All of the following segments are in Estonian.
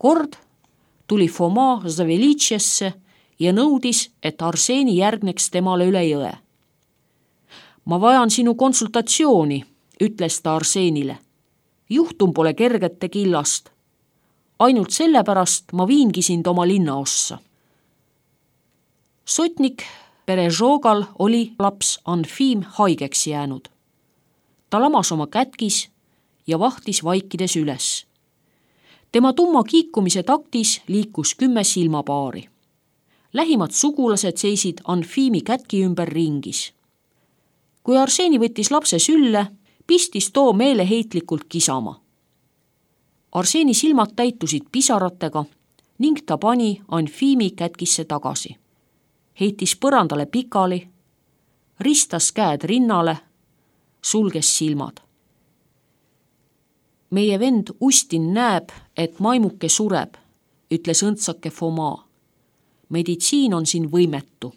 Kord tuli Foma Zavelitšesse ja nõudis, et Arseni järgneks temale üle jõe. Ma vajan sinu konsultatsiooni, ütles ta Arsenile. Juhtum pole kergete killast. Ainult sellepärast ma viingi sind oma linnaossa. Sotnik Perežogal oli laps Anfim haigeks jäänud. Ta lamas oma kätkis ja vahtis vaikides üles. Tema tumma kiikumise taktis liikus 10 silmapaari. Lähimad sugulased seisid Anfimi kätki ümber ringis. Kui Arseni võttis lapse sülle, pistis too meeleheitlikult kisama. Arseni silmad täitusid pisaratega ning ta pani Anfimi kätkisse tagasi. Heitis põrandale pikali, ristas käed rinnale, sulges silmad. Meie vend Ustin näeb, et maimuke sureb, ütles õndsake Foma. Meditsiin on siin võimetu.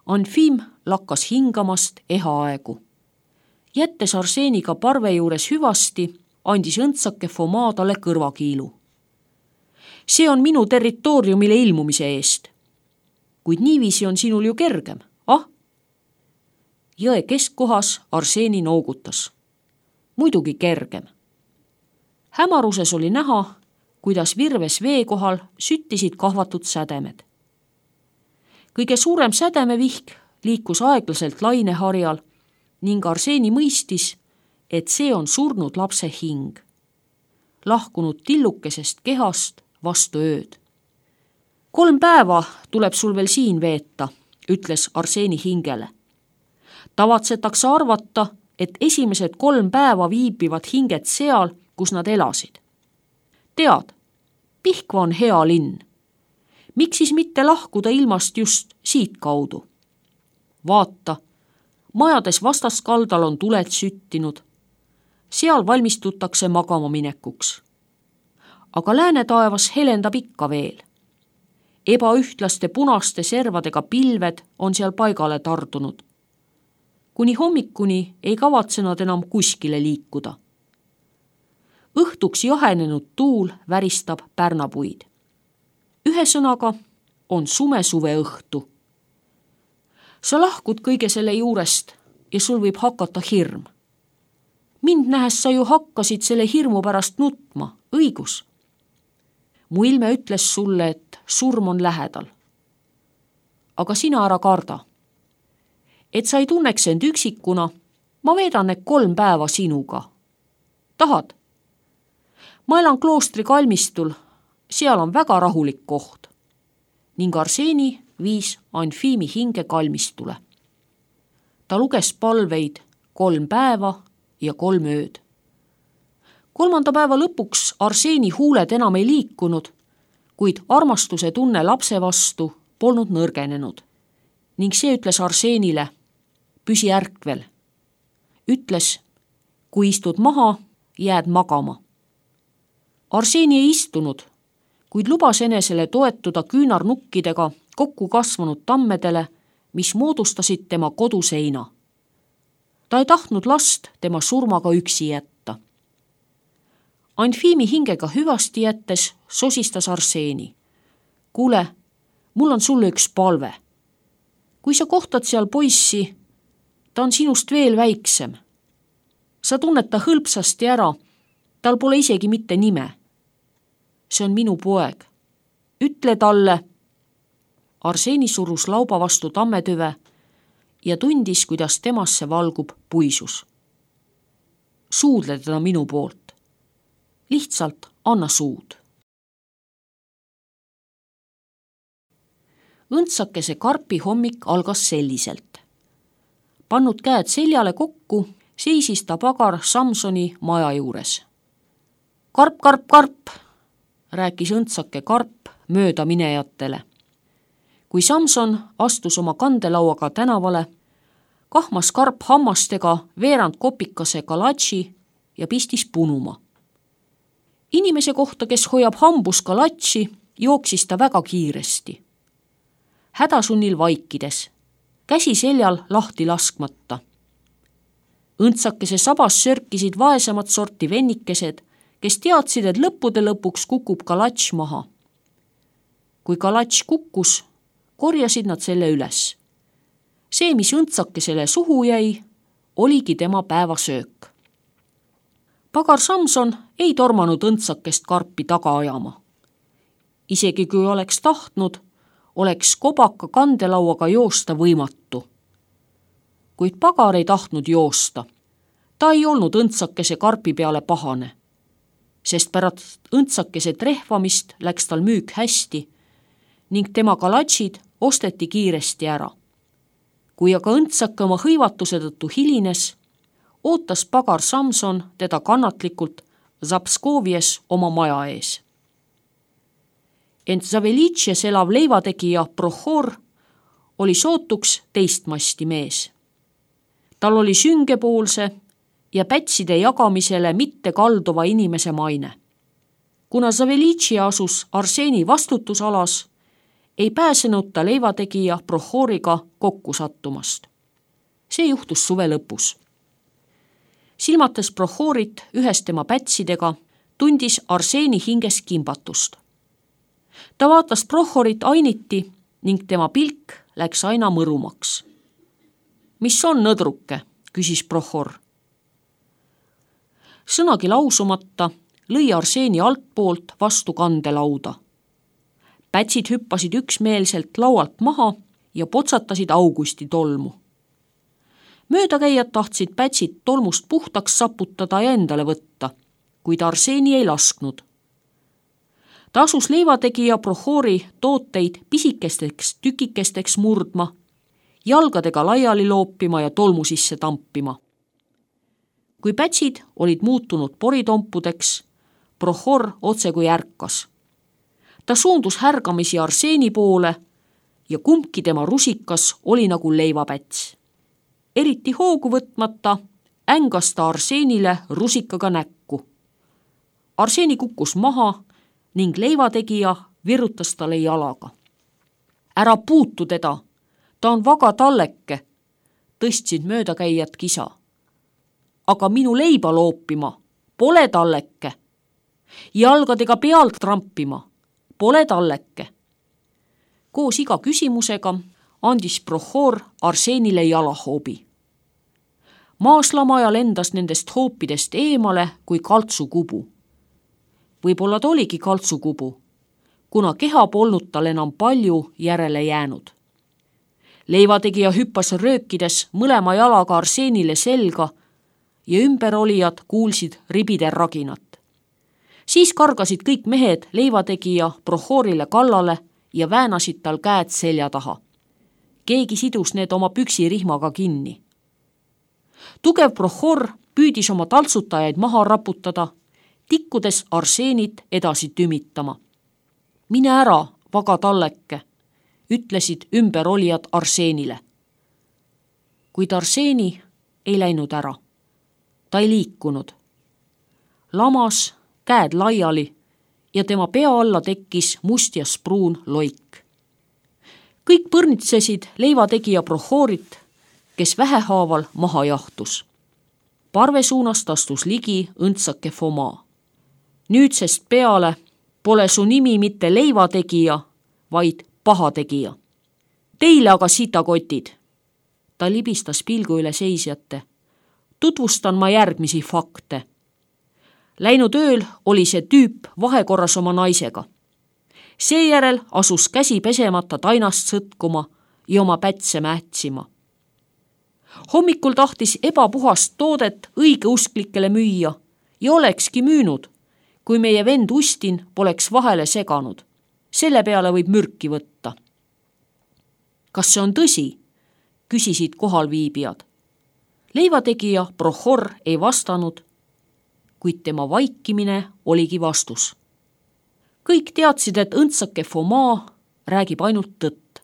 Anfim lakkas hingamast ehaaegu. Jättes Arseniga parve juures hüvasti, andis õndsake Foma talle kõrvakiilu. See on minu territooriumile ilmumise eest. Kuid niiviisi on sinul ju kergem, ah? Jõe keskkohas Arseni noogutas. Muidugi kergem. Hämaruses oli näha, kuidas virves vee kohal süttisid kahvatud sädemed. Kõige suurem sädemevihk liikus aeglaselt laineharjal ning Arseni mõistis, et see on surnud lapse hing, lahkunud tillukesest kehast vastu ööd. 3 päeva tuleb sul veel siin veeta, ütles Arseni hingele. Tavatsetakse arvata, et esimesed 3 päeva viibivad hinged seal, kus nad elasid. Tead, Pihkva on hea linn. Miks siis mitte lahkuda ilmast just siit kaudu? Vaata, majades vastaskaldal on tuled süttinud. Seal valmistutakse magama minekuks. Aga läänetaevas helendab ikka veel. Ebaühtlaste punaste servadega pilved on seal paigale tardunud. Kuni hommikuni ei kavatse nad enam kuskile liikuda. Õhtuks jahenenud tuul väristab pärnapuid. Ühesõnaga on sume suve õhtu. Sa lahkud kõige selle juurest ja sul võib hakata hirm. Mind nähes sa ju hakkasid selle hirmu pärast nutma, õigus? Mu ilme ütles sulle, et surm on lähedal. Aga sina ära karda. Et sa ei tunneks end üksikuna, ma veedan need 3 päeva sinuga. Tahad? Ma elan kloostri kalmistul, seal on väga rahulik koht. Ning Arseni viis Anfimi hinge kalmistule. Ta luges palveid 3 päeva ja 3 ööd. 3. päeva lõpuks Arseni huuled enam ei liikunud, kuid armastuse tunne lapse vastu polnud nõrgenenud. Ning see ütles Arsenile, püsi ärkvel. Ütles, kui istud maha, jääd magama. Arseni ei istunud, kuid lubas enesele toetuda küünarnukkidega kokku kasvanud tammedele, mis moodustasid tema koduseina. Ta ei tahtnud last tema surmaga üksi jätta. Anfimi hingega hüvasti jättes sosistas Arseni. Kuule, mul on sulle üks palve. Kui sa kohtad seal poissi, ta on sinust veel väiksem. Sa tunned ta hõlpsasti ära, tal pole isegi mitte nime. See on minu poeg. Ütle talle. Arseni surus lauba vastu tammetüve ja tundis, kuidas temasse valgub puisus. Suudle teda minu poolt. Lihtsalt anna suud. Õndsakese karpi hommik algas selliselt. Pannud käed seljale kokku, seisis ta pagar Samsoni maja juures. Karp, karp, karp, rääkis õndsake karp mööda minejatele. Kui Samson astus oma kandelauaga tänavale, kahmas karp hammastega veerand kopikase kalatši ja pistis punuma. Inimese kohta, kes hoiab hambus kalatši, jooksis ta väga kiiresti. Hädasunnil vaikides, käsi seljal lahti laskmata. Õndsakese sabas sörkisid vaesemat sorti vennikesed, kes teadsid, et lõppude lõpuks kukub kalatš maha. Kui kalatš kukkus, korjasid nad selle üles. See, mis õndsakesele suhu jäi, oligi tema päevasöök. Pagar Samson ei tormanud õndsakest karpi taga ajama. Isegi kui oleks tahtnud, oleks kobaka kandelauaga joosta võimatu. Kuid pagar ei tahtnud joosta. Ta ei olnud õndsakese karpi peale pahane, sest pärast õndsakese trehvamist läks tal müük hästi ning tema kalatšid osteti kiiresti ära. Kui aga õndsake oma hõivatuse tõttu hilines, ootas pagar Samson teda kannatlikult Zapskovies oma maja ees. Ent Zavelitšes elav leivategija Prohor oli sootuks teistmasti mees. Tal oli süngepoolse ja pätside jagamisele mitte kalduva inimese maine. Kuna Zavelitši asus Arseni vastutusalas, ei pääsenud ta leivategija Prohoriga kokku sattumast. See juhtus suve lõpus. Silmates Prohorit ühes tema pätsidega, tundis Arseni hinges kimbatust. Ta vaatas Prohorit ainiti ning tema pilk läks aina mõrumaks. Mis on, nõdruke? Küsis Prohor. Sõnagi lausumata lõi Arseni altpoolt vastu kandelauda. Pätsid hüppasid üksmeelselt laualt maha ja potsatasid Augusti tolmu. Möödakäijad tahtsid pätsid tolmust puhtaks saputada ja endale võtta, kuid Arseni ei lasknud. Ta asus leivategija Prohori tooteid pisikesteks tükikesteks murdma, jalgadega laiali loopima ja tolmu sisse tampima. Kui pätsid olid muutunud poritompudeks, Prohor otse kui ärkas. Ta suundus härgamisi Arseni poole ja kumbki tema rusikas oli nagu leivapäts. Eriti hoogu võtmata ängas ta Arsenile rusikaga näkku. Arseni kukkus maha ning leivategija virutas talle jalaga. Ära puutu teda, ta on vaga talleke, tõstsid möödakäijad kisa. Aga minu leiba loopima, pole talleke. Jalgadega pealt trampima, pole talleke. Koos iga küsimusega andis Prohor Arsenile jalahoobi. Maaslamaja lendas nendest hoopidest eemale kui kaltsukubu. Võib-olla ta oligi kaltsukubu, kuna keha polnud tal enam palju järele jäänud. Leivategija hüppas röökides mõlema jalaga Arsenile selga ja ümberolijad kuulsid ribide raginat. Siis kargasid kõik mehed leivategija Prohorile kallale ja väänasid tal käed selja taha. Keegi sidus need oma püksirihmaga kinni. Tugev Prohor püüdis oma taltsutajaid maha raputada, tikkudes Arsenit edasi tümitama. Mine ära, vaga talleke, ütlesid ümberolijad Arsenile. Kuid Arseni ei läinud ära. Ta ei liikunud. Lamas, käed laiali ja tema pea alla tekkis must ja spruun loik. Kõik põrnitsesid leivategija Prohorit, kes vähehaaval maha jahtus. Parve suunast astus ligi õndsake Foma. Nüüdsest peale pole su nimi mitte leivategija, vaid pahategija. Teile aga sitakotid. Ta libistas pilgu üle seisjate. Tutvustan ma järgmisi fakte. Läinud ööl oli see tüüp vahekorras oma naisega. Seejärel asus käsi pesemata tainast sõtkuma ja oma pätse mähtsima. Hommikul tahtis ebapuhast toodet õigeusklikele müüa ja olekski müünud, kui meie vend Ustin poleks vahele seganud. Selle peale võib mürki võtta. Kas see on tõsi? Küsisid kohalviibijad. Leivategija Prohor ei vastanud, kuid tema vaikimine oligi vastus. Kõik teadsid, et õndsake Foma räägib ainult tõtt.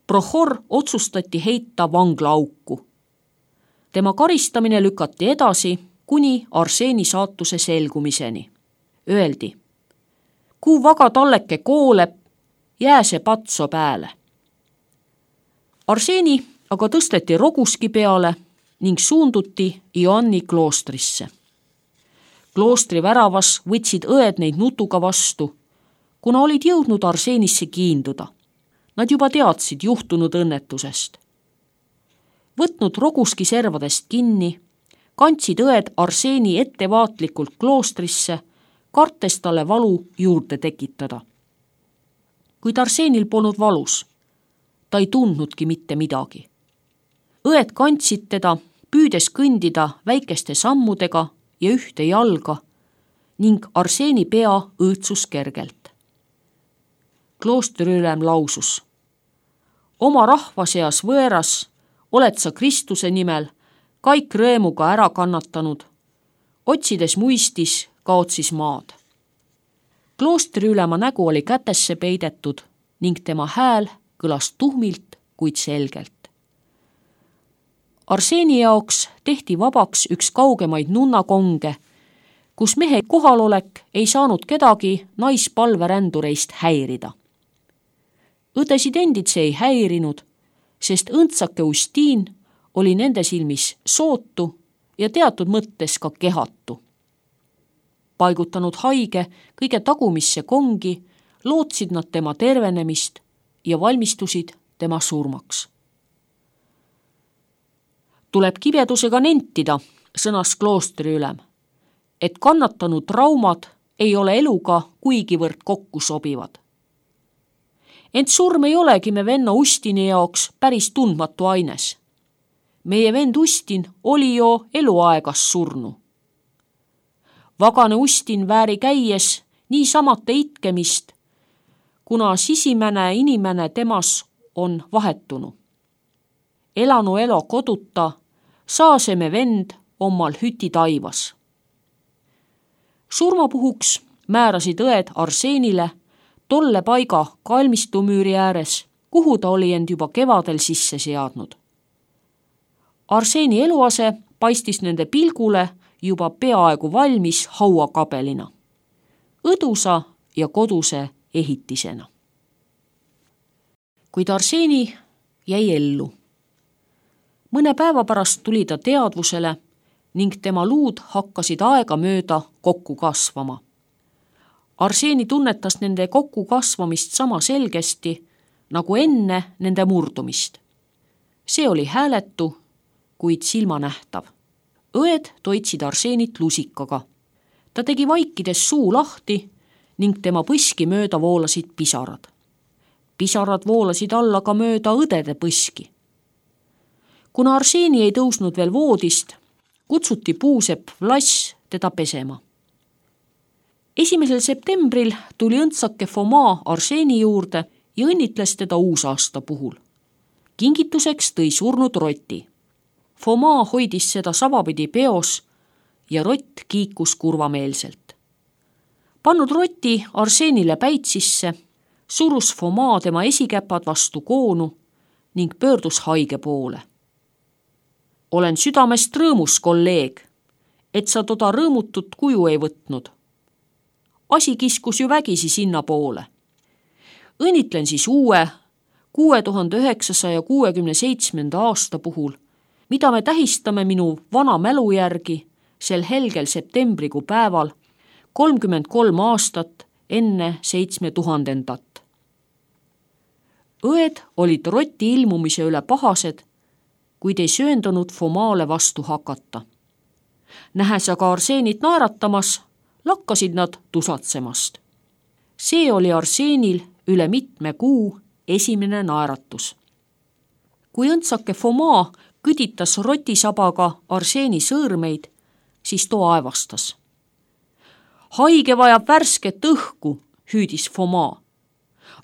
Prohor otsustati heita vanglaauku. Tema karistamine lükati edasi kuni Arseni saatuse selgumiseni. Öeldi, kui vaga talleke kooleb, jää see patso pääle. Arseni aga tõsteti roguski peale ning suunduti Ioanni kloostrisse. Kloostri väravas võtsid õed neid nutuga vastu, kuna olid jõudnud Arseenisse kiinduda. Nad juba teadsid juhtunud õnnetusest. Võtnud roguski servadest kinni, kandsid õed Arseeni ettevaatlikult kloostrisse, kartes talle valu juurde tekitada. Kuid Arseenil polnud valus. Ta ei tundnudki mitte midagi. Õed kandsid teda, püüdes kõndida väikeste sammudega ja ühte jalga ning Arseeni pea õõtsus kergelt. Kloostriülem lausus: oma rahva seas võõras oled sa Kristuse nimel kõik rõõmuga ära kannatanud, otsides muistis kaotsis maad. Kloostriülema nägu oli kätesse peidetud ning tema hääl kõlas tuhmilt, kuid selgelt. Arseeni jaoks tehti vabaks üks kaugemaid nunnakonge, kus mehe kohalolek ei saanud kedagi naispalverändureist häirida. Õdesid endid see ei häirinud, sest õndsake Ustiin oli nende silmis sootu ja teatud mõttes ka kehatu. Paigutanud haige kõige tagumisse kongi, lootsid nad tema tervenemist ja valmistusid tema surmaks. Tuleb kibedusega nentida, sõnas kloostriülem, et kannatanud traumad ei ole eluga kuigivõrd kokku sobivad. Ent surm ei olegi me venna Ustini jaoks päris tundmatu aines. Meie vend Ustin oli jo eluaegas surnu. Vagane Ustin vääri käies niisamate itkemist, kuna sisimene inimene temas on vahetunu. Elanu elo koduta saaseme vend omal hüti taivas. Surmapuhuks määrasid õed Arseenile tolle paiga kalmistumüüri ääres, kuhu ta oli end juba kevadel sisse seadnud. Arseeni eluase paistis nende pilgule juba peaaegu valmis hauakabelina, õdusa ja koduse ehitisena. Kuid Arseeni jäi ellu. Mõne päeva pärast tuli ta teadvusele ning tema luud hakkasid aega mööda kokku kasvama. Arseeni tunnetas nende kokku kasvamist sama selgesti nagu enne nende murdumist. See oli hääletu, kuid silmanähtav. Õed toitsid Arseenit lusikaga. Ta tegi vaikides suu lahti ning tema põski mööda voolasid pisarad. Pisarad voolasid alla ka mööda õdede põski. Kuna Arseeni ei tõusnud veel voodist, kutsuti puusepp Vlass teda pesema. 1. septembril tuli õndsake Foma Arseeni juurde ja õnnitles teda uusaasta puhul. Kingituseks tõi surnud roti. Foma hoidis seda savapidi peos ja rott kiikus kurvameelselt. Pannud roti Arseenile päitsisse, surus Foma tema esikäpad vastu koonu ning pöördus haige poole. Olen südamest rõõmus, kolleeg, et sa toda rõõmutut kuju ei võtnud. Asi kiskus ju vägisi sinna poole. Õnnitlen siis uue 6967. aasta puhul, mida me tähistame minu vana mälu järgi sel helgel septembrikuu päeval 33 aastat enne 7000. Õed olid rotti ilmumise üle pahased, kuid ei sööndunud Fomaale vastu hakata. Nähes aga Arseenit naeratamas, lakkasid nad tusatsemast. See oli Arseenil üle mitme kuu esimene naeratus. Kui õndsake Foma kõditas rotisabaga Arseeni sõõrmeid, siis too aevastas. Haige vajab värsket õhku, hüüdis Foma.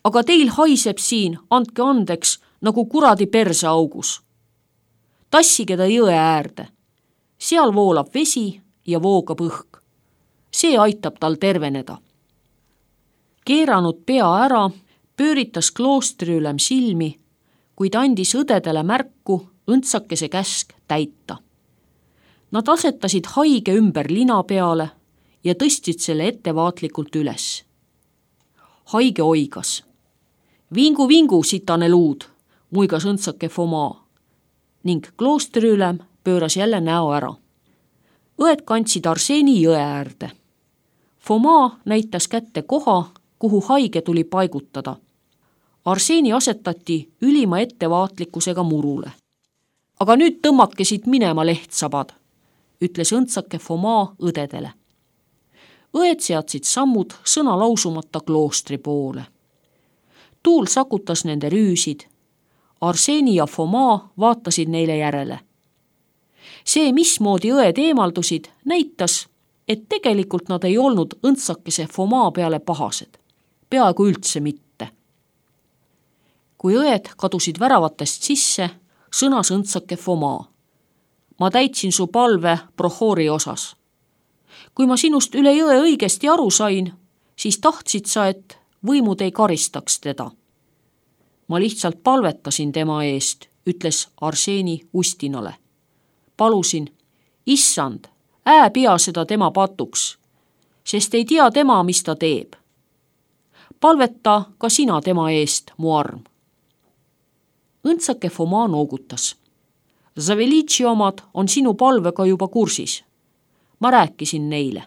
Aga teil haiseb siin, andke andeks, nagu kuradi perseaugus. Tassige ta jõe äärde. Seal voolab vesi ja voogab õhk. See aitab tal terveneda. Keeranud pea ära, pööritas kloostriülem silmi, kuid andis õdedele märku õndsakese käsk täita. Nad asetasid haige ümber lina peale ja tõstsid selle ettevaatlikult üles. Haige oigas. Vingu, vingu, sitane luud, muigas õndsake Foma ning kloostriülem pööras jälle näo ära. Õed kandsid Arseni jõe äärde. Foma näitas kätte koha, kuhu haige tuli paigutada. Arseni asetati ülima ettevaatlikkusega murule. Aga nüüd tõmmake siit minema, lehtsabad, ütles õndsake Foma õdedele. Õed seadsid sammud sõna lausumata kloostri poole. Tuul sakutas nende rüüsid. Arseni ja Foma vaatasid neile järele. See, mismoodi õed eemaldusid, näitas, et tegelikult nad ei olnud õndsakese Foma peale pahased. Peaaegu üldse mitte. Kui õed kadusid väravatest sisse, sõnas õndsake Foma. Ma täitsin su palve Prohori osas. Kui ma sinust üle jõe õigesti aru sain, siis tahtsid sa, et võimud ei karistaks teda. Ma lihtsalt palvetasin tema eest, ütles Arseni Ustinale. Palusin, issand, pea seda tema patuks, sest ei tea tema, mis ta teeb. Palveta ka sina tema eest, mu arm. Õndsake Foma noogutas. Zavelitši omad on sinu palvega juba kursis. Ma rääkisin neile.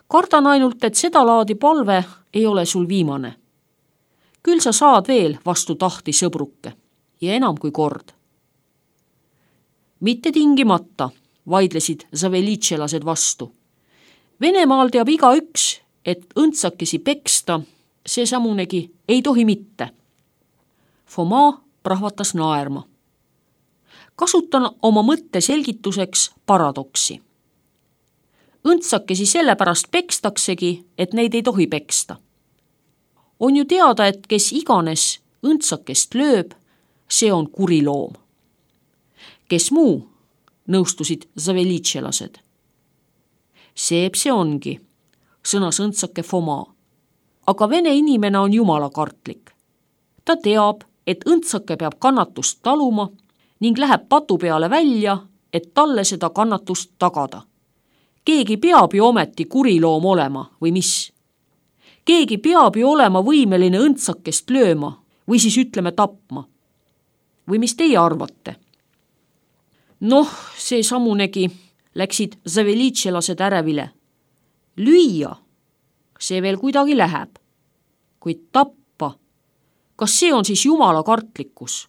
Kardan ainult, et seda laadi palve ei ole sul viimane. Küll sa saad veel vastu tahti sõbruke ja enam kui kord. Mitte tingimata, vaidlesid zavelitšelased vastu. Venemaal teab igaüks, et õndsakesi peksta, see samunegi ei tohi mitte. Foma prahvatas naerma. Kasutan oma mõtte selgituseks paradoksi. Õndsakesi sellepärast pekstaksegi, et neid ei tohi peksta. On ju teada, et kes iganes õndsakest lööb, see on kuri loom. Kes muu, nõustusid zavelitšelased. See ongi, sõnas õndsake Foma. Aga vene inimene on jumalakartlik. Ta teab, et õndsake peab kannatust taluma ning läheb patu peale välja, et talle seda kannatust tagada. Keegi peab ju ometi kuriloom olema või mis? Keegi peab ju olema võimeline õndsakest lööma või siis ütleme tapma. Või mis teie arvate? Noh, see samunegi läksid zavelitšelased ärevile. Lüüa, see veel kuidagi läheb. Kuid tappa, kas see on siis jumala kartlikkus?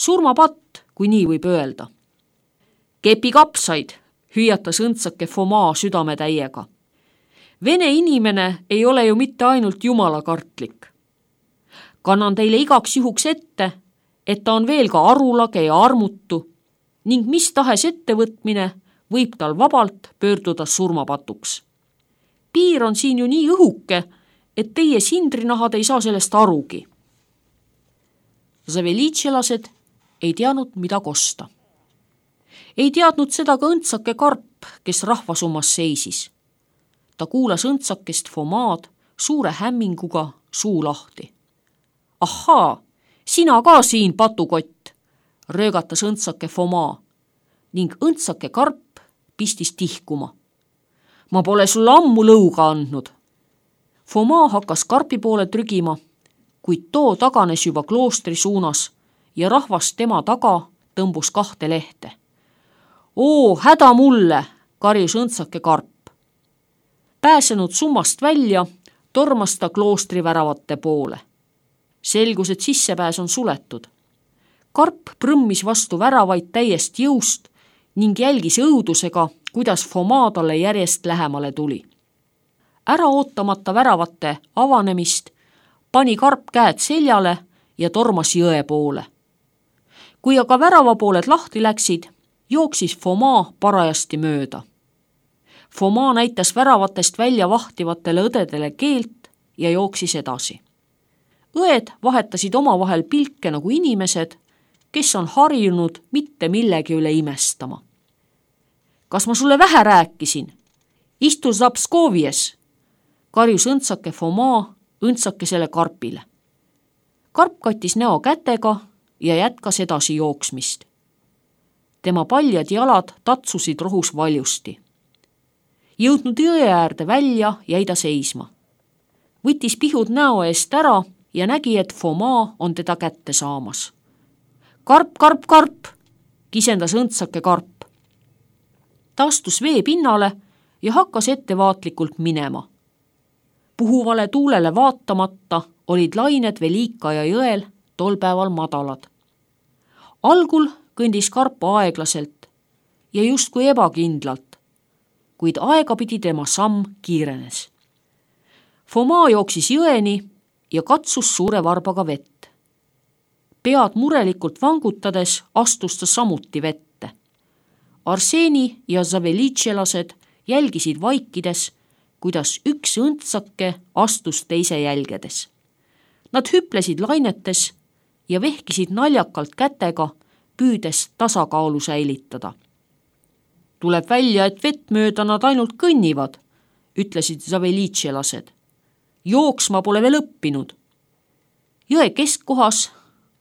Surmapatt, kui nii võib öelda. Kepi kapsaid, hüüatas õndsake Foma südametäiega. Vene inimene ei ole ju mitte ainult jumalakartlik. Kannan teile igaks juhuks ette, et ta on veel ka arulage ja armutu ning mis tahes ettevõtmine võib tal vabalt pöörduda surmapatuks. Piir on siin ju nii õhuke, et teie sindrinahad ei saa sellest arugi. Zavelitšelased ei teadnud, mida kosta. Ei teadnud seda ka õndsake Karp, kes rahvasummas seisis. Ta kuulas õndsakest Fomaad suure hämminguga suu lahti. Ahaa, sina ka siin, patukott, röögatas õndsake Foma ning õndsake Karp pistis tihkuma. Ma pole sulle ammu lõuga andnud. Foma hakkas Karpi poole trügima, kuid too taganes juba kloostri suunas ja rahvas tema taga tõmbus 2 lehte. Oo, häda mulle, karjus õndsake Karp. Pääsenud summast välja, tormas ta kloostri väravate poole. Selgus, et sissepääs on suletud. Karp prõmmis vastu väravaid täiest jõust ning jälgis õudusega, kuidas Foma talle järjest lähemale tuli. Ära ootamata väravate avanemist pani Karp käed seljale ja tormas jõe poole. Kui aga väravapooled lahti läksid, jooksis Foma parajasti mööda. Foma näitas väravatest välja vahtivatele õdedele keelt ja jooksis edasi. Õed vahetasid omavahel pilke nagu inimesed, kes on harjunud mitte millegi üle imestama. Kas ma sulle vähe rääkisin? Istu Zapskovies, karjus õndsake Foma õndsakesele Karpile. Karp kattis näo kätega ja jätkas edasi jooksmist. Tema paljad jalad tatsusid rohus valjusti. Jõudnud jõe äärde välja, jäi ta seisma. Võttis pihud näo eest ära ja nägi, et Foma on teda kätte saamas. Karp, Karp, Karp, kisendas õndsake Karp. Ta astus vee pinnale ja hakkas ettevaatlikult minema. Puhuvale tuulele vaatamata olid lained Velikaja jõel tol päeval madalad. Algul kõndis karp aeglaselt ja justkui ebakindlalt, kuid aegapidi tema samm kiirenes. Foma jooksis jõeni ja katsus suure varbaga vett. Pead murelikult vangutades astus ta samuti vette. Arseni ja Zavelitšelased jälgisid vaikides, kuidas üks õndsake astus teise jälgedes. Nad hüplesid lainetes ja vehkisid naljakalt kätega, püüdes tasakaalu säilitada. Tuleb välja, et vett mööda nad ainult kõnnivad, ütlesid Zavelitšelased. Jooksma pole veel õppinud. Jõe keskkohas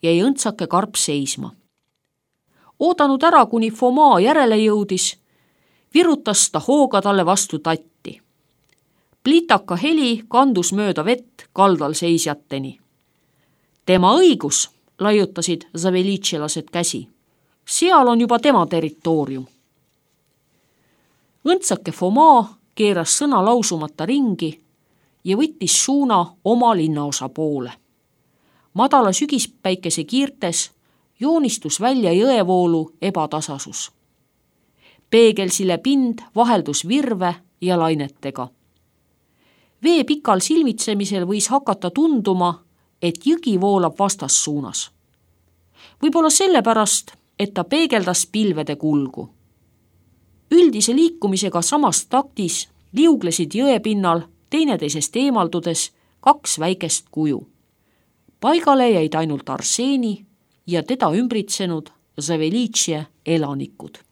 jäi õndsake karp seisma. Oodanud ära, kuni Foma järele jõudis, virutas ta hooga talle vastu tatti. Plitaka heli kandus mööda vett kaldal seisjateni. Tema õigus, laiutasid Zavelitšelased käsi. Seal on juba tema territoorium. Õndsake Foma keeras sõna lausumata ringi ja võttis suuna oma linnaosa poole. Madala sügispäikese kiirtes joonistus välja jõevoolu ebatasasus. Peegelsile pind vaheldus virve ja lainetega. Vee pikal silmitsemisel võis hakata tunduma, et jõgi voolab vastassuunas. Võib-olla sellepärast, et ta peegeldas pilvede kulgu. Üldise liikumisega samas taktis liuglesid jõepinnal teineteisest eemaldudes kaks väikest kuju. Paigale jäid ainult Arseni ja teda ümbritsenud Zavelitše elanikud.